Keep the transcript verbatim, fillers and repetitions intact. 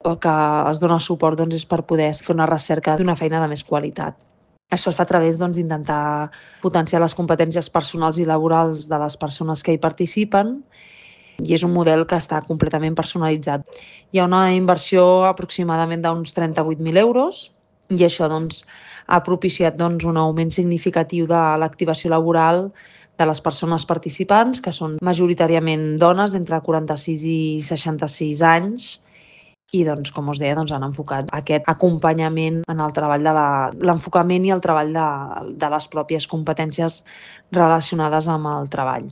El que es dona suport doncs, és per poder fer una recerca d'una feina de més qualitat. Això es fa a través doncs, d'intentar potenciar les competències personals i laborals de les persones que hi participen i és un model que està completament personalitzat. Hi ha una inversió aproximadament d'uns trenta-vuit mil euros i això doncs, ha propiciat doncs, un augment significatiu de l'activació laboral de les persones participants, que són majoritàriament dones d'entre quaranta-sis i seixanta-sis anys, i doncs, com us deia, doncs, han enfocat aquest acompanyament en el treball de l'enfocament i el treball de, de les pròpies competències relacionades amb el treball.